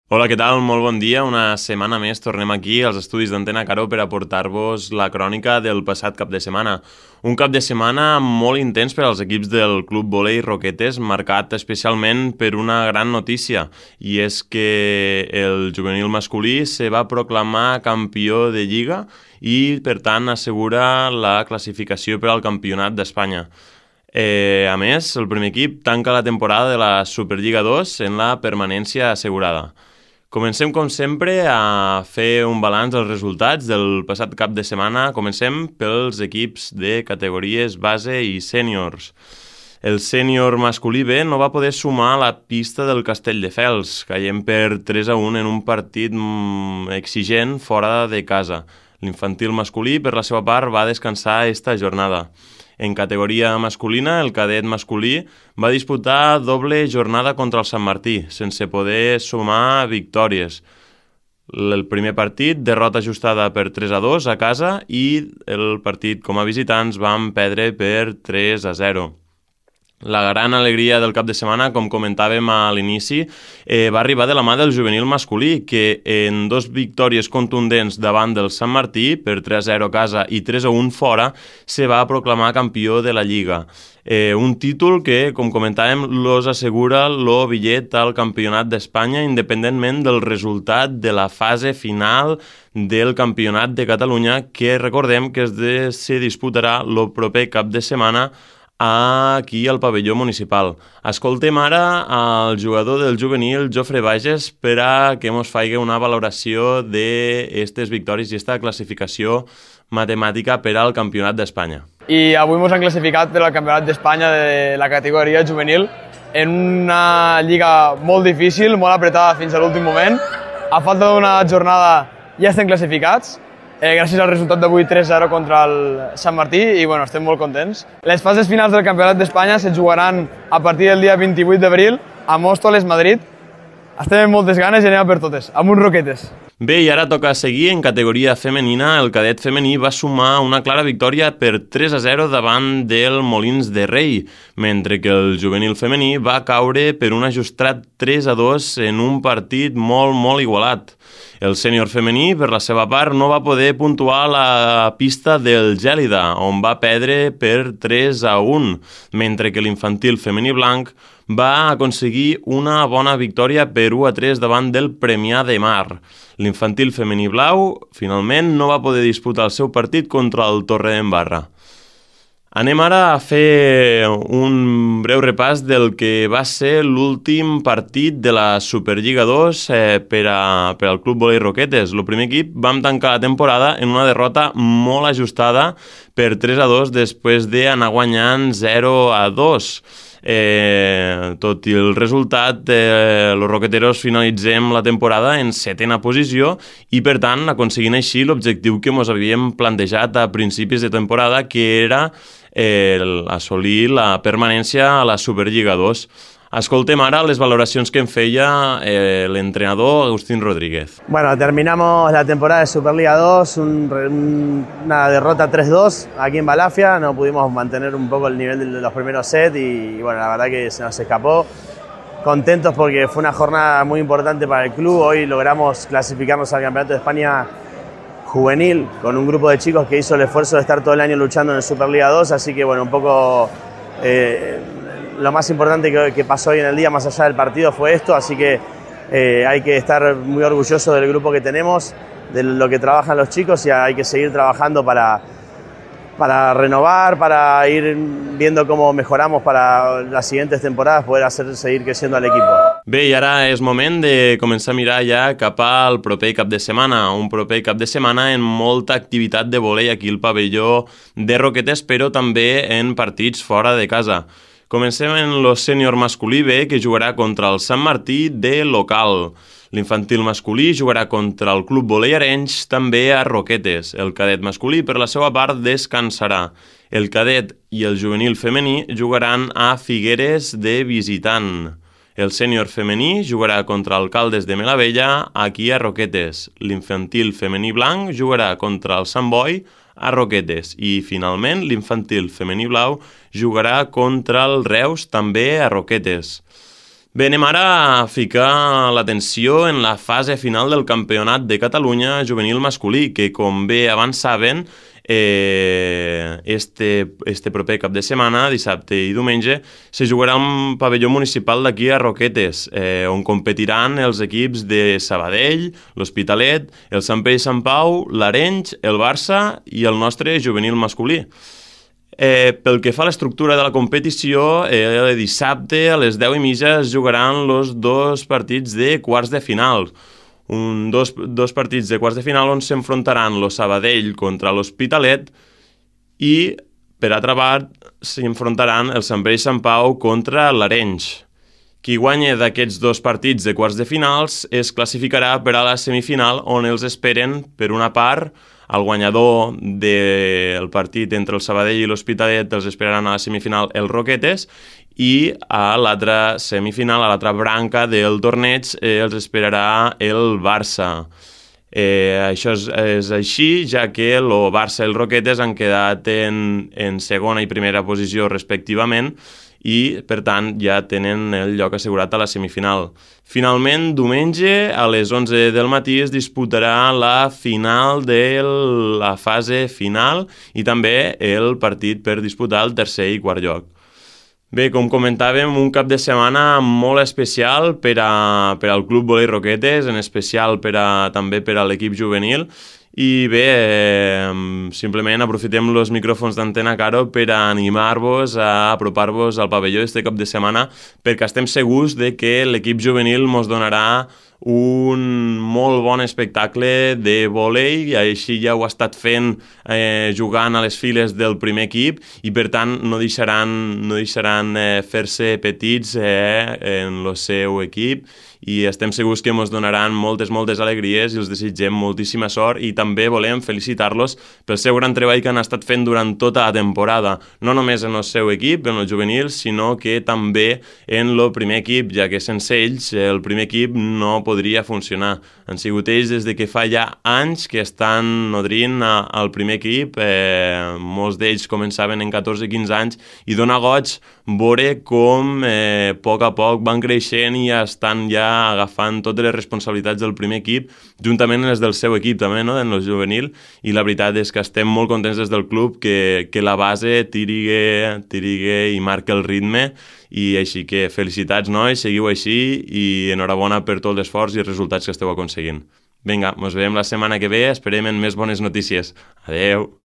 Hola, què tal? Molt bon dia. Una setmana més tornem aquí als estudis d'Antena Caró per aportar-vos la crònica del passat cap de setmana. Un cap de setmana molt intens per als equips del Club Volei Roquetes, marcat especialment per una gran notícia, i és que el juvenil masculí se va proclamar campió de Lliga i, per tant, assegura la classificació per al Campionat d'Espanya. A més, el primer equip tanca la temporada de la Superliga 2 en la permanència assegurada. Comencem, com sempre, a fer un balanç dels resultats del passat cap de setmana. Comencem pels equips de categories base i sèniors. El sènior masculí B no va poder sumar a la pista del Castelldefels, caient per 3-1 en un partit exigent fora de casa. L'infantil masculí, per la seva part, va descansar esta jornada. En categoria masculina, el cadet masculí va disputar doble jornada contra el Sant Martí, sense poder sumar victòries. El primer partit, derrota ajustada per 3-2 a casa, i el partit com a visitants van perdre per 3-0. La gran alegria del cap de setmana, com comentàvem a l'inici, va arribar de la mà del juvenil masculí, que en dos victòries contundents davant del Sant Martí, per 3-0 a casa i 3-1 fora, se va proclamar campió de la Lliga. Un títol que, com comentàvem, los assegura el bitllet al Campionat d'Espanya, independentment del resultat de la fase final del Campionat de Catalunya, que recordem que se disputarà el proper cap de setmana aquí al pavelló municipal. Escoltem ara al jugador del juvenil, Jofre Bages, per a que ens faci una valoració d'aquestes victòries i aquesta classificació matemàtica per al Campionat d'Espanya. I avui ens han classificat per al Campionat d'Espanya de la categoria juvenil en una lliga molt difícil, molt apretada fins a l'últim moment. A falta d'una jornada ja estem classificats, gràcies al resultat d'avui 3-0 contra el Sant Martí, i bueno, estem molt contents. Les fases finals del Campionat d'Espanya se jugaran a partir del dia 28 d'abril a Móstoles, Madrid. Estem amb moltes ganes i anem a per totes, amb uns Roquetes. Bé, i ara toca seguir en categoria femenina. El cadet femení va sumar una clara victòria per 3-0 davant del Molins de Rei, mentre que el juvenil femení va caure per un ajustat 3-2 en un partit molt igualat. El sènior femení, per la seva part, no va poder puntuar a la pista del Gèlida, on va perdre per 3-1, mentre que l'infantil femení blanc va aconseguir una bona victòria per 1-3 davant del Premià de Mar. L'infantil femení blau, finalment, no va poder disputar el seu partit contra el Torredembarra. Anem ara a fer un breu repàs del que va ser l'últim partit de la Superliga 2 per al Club Volei Roquetes. El primer equip vam tancar la temporada en una derrota molt ajustada per 3-2 després d'anar guanyant 0-2. Tot i el resultat, els roqueteros finalitzem la temporada en 7ª posició i, per tant, aconseguint així l'objectiu que ens havíem plantejat a principis de temporada, que era assolir la permanència a la Superliga 2. Escoltem ara les valoracions que en feia l'entrenador Agustín Rodríguez. Bueno, terminamos la temporada de Superliga 2, una derrota 3-2 aquí en Balafia. No pudimos mantener un poco el nivel de los primeros sets y bueno, la verdad que se nos escapó. Contentos porque fue una jornada muy importante para el club. Hoy logramos clasificarnos al Campeonato de España juvenil con un grupo de chicos que hizo el esfuerzo de estar todo el año luchando en el Superliga 2, así que bueno, un poco lo más importante que pasó hoy en el día, más allá del partido, fue esto, así que hay que estar muy orgulloso del grupo que tenemos, de lo que trabajan los chicos, y hay que seguir trabajando para renovar, para ir viendo cómo mejoramos para las siguientes temporadas, poder hacer seguir creciendo al equipo. Bé, i ara és moment de començar a mirar ja cap al proper cap de setmana, un proper cap de setmana en molta activitat de vòlei aquí al pavelló de Roquetes, però també en partits fora de casa. Comencem en el sènior masculí B, que jugarà contra el Sant Martí de local. L'infantil masculí jugarà contra el Club Volei Arenys, també a Roquetes. El cadet masculí, per la seva part, descansarà. El cadet i el juvenil femení jugaran a Figueres de visitant. El sènior femení jugarà contra el Caldes de Melavella, aquí a Roquetes. L'infantil femení blanc jugarà contra el Sant Boi, a Roquetes. I, finalment, l'infantil femení blau jugarà contra el Reus, també a Roquetes. Bé, anem ara a ficar l'atenció en la fase final del Campionat de Catalunya juvenil masculí, que com bé abans saben, este proper cap de setmana, dissabte i diumenge, se jugarà un pavelló municipal d'aquí a Roquetes, on competiran els equips de Sabadell, l'Hospitalet, el Sant Pere i Sant Pau, l'Arenys, el Barça i el nostre juvenil masculí. Pel que fa a l'estructura de la competició, dissabte a les 10:30 es jugaran els dos partits de quarts de final. Dos partits de quarts de final on s'enfrontaran el Sabadell contra l'Hospitalet i, per altra part, s'enfrontaran el Sant Pere i Sant Pau contra l'Arenys. Qui guanya d'aquests dos partits de quarts de finals es classificarà per a la semifinal, on els esperen, per una part, el guanyador del partit entre el Sabadell i l'Hospitalet els esperaran a la semifinal els Roquetes, i a l'altra semifinal, a l'altra branca del torneig, els esperarà el Barça. Això és així, ja que el Barça i el Roquetes han quedat en segona i primera posició respectivament, i, per tant, ja tenen el lloc assegurat a la semifinal. Finalment, diumenge, a les 11 del matí, es disputarà la final de la fase final i també el partit per disputar el tercer i quart lloc. Bé, com comentàvem, un cap de setmana molt especial per al Club Volei Roquetes, en especial també per a l'equip juvenil. I bé, simplement aprofitem els micròfons d'Antena Caro per a animar-vos a apropar-vos al pavelló este cap de setmana, perquè estem segurs de que l'equip juvenil ens donarà un molt bon espectacle de vòlei, i així ja ho ha estat fent jugant a les files del primer equip, i per tant no deixaran fer-se petits en el seu equip, i estem segurs que ens donaran moltes alegries i els desitgem moltíssima sort, i també volem felicitar-los pel seu gran treball que han estat fent durant tota la temporada, no només en el seu equip, en el juvenil, sinó que també en el primer equip, ja que sense ells el primer equip no podria funcionar. Han sigut ells des de que fa ja anys que estan nodrint al primer equip, molts d'ells començaven en 14-15 anys, i dona goig veure com a poc van creixent i estan ja agafant totes les responsabilitats del primer equip, juntament amb les del seu equip també, no?, en el juvenil, i la veritat és que estem molt contents des del club que la base tirigue i marque el ritme, i així que felicitats, nois, seguiu així, i enhorabona per tot l'esforç i els resultats que esteu aconseguint. Vinga, ens veiem la setmana que ve, esperem en més bones notícies. Adeu!